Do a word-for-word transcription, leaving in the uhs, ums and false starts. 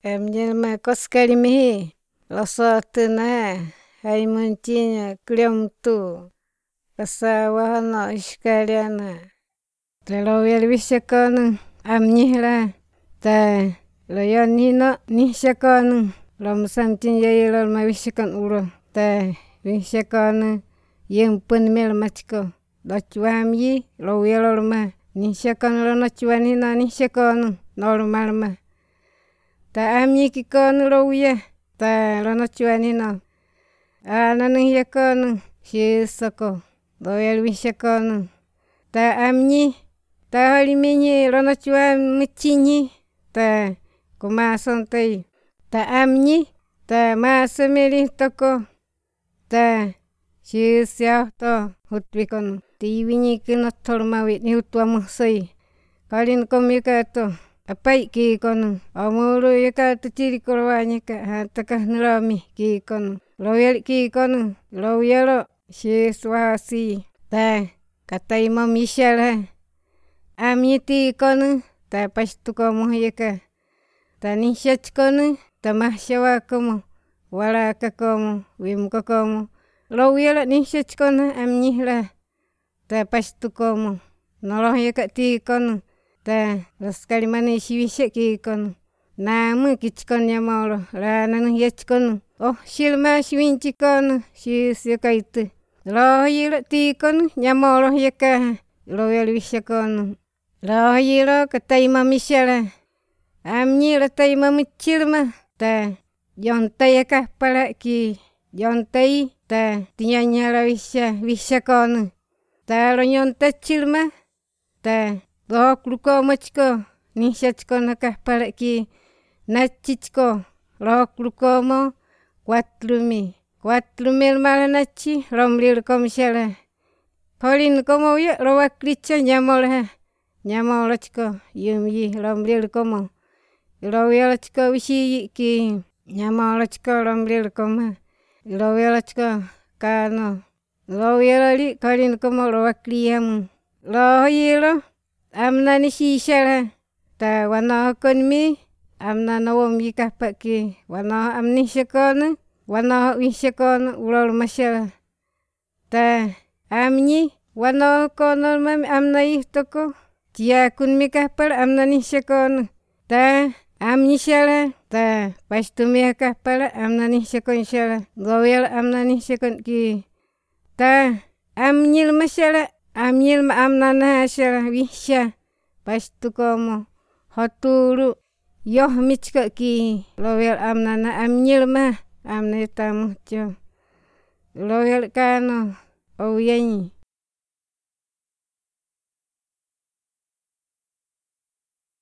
Em jelma koskali mihi losotuna hai muncinya kliom tu kasawahana iskaliana telowel wisekonu amnyihla ta loyonino nihsekonu lom samtin yayilol ma wisekon ulo ta wisekonu yempun mel machko dochwamyi lowelol ma nihsekonu lonochwanino nihsekonu normal ma ta amyi kikonu lowya ta lonochwanino ananu yakonu shisoko lowel wisekonu ta amyi ta holiminyi lonochwan muchinyi ta kumasontai ta amyi ta masemeli toko ta shisyahto hutwikonu tiwinyi kinotolmawi niutwamusoi kalin komyukato apai kikonu omulu yukato chilikolowanyika hataka nulomi kikonu lowel kikonu lowyelo shiswasi ta kataimom yishala amyi tikonu ta pastukomu yaka ta nihsyachkonu ta mahsyawakomu walakakomu wimkokomu lowyelo nihsyachkonu amnyihla ta pastukomu noloh yaka tikonu ta loskali manisi wisya kikonu namu kichkon yamolo lananu yachkonu oh silma siwinchikonu sisyakaitu lohyilo tikonu nyamolo yaka lowel wisekonu lohyilo kataimom yishala amyi lataimom chilma ta yontai akahpala ki yontai ta tinyanyala wisya wisekonu ta lonyonta chilma ta lohoklukomachko nihsyachkonu akahpala ki nachichko lohoklukomo kwatlumi kwatlumel malanachi lomlilkom shala holin komowya lowaklitso nyamolha nyamolochko yumyi lomlilkomo lowyolochko wisiyi ki nyamolochko lomlilkoma lowyolochko kano lowyololi kolin komo lowakliyamu lohyilo amnani sishala ta wanohokon amnanawom yikahpaki wanoho am nihsekonu wanoho wisekonu ulol mashala ta amnyi wanohokonolmami amnayih toko tiyakun mikahpala amna nihsekonu ta amnyi shala ta pastumi akahpala amna nihsekon shala lowyal amna nihsekon ki ta amnyil mashala amnyil ma amnana shala wihsya pastukomo hotulu yoh michko ki lowyal amnana amnyil ma amna yutamuhcho lowyal kano owyanyi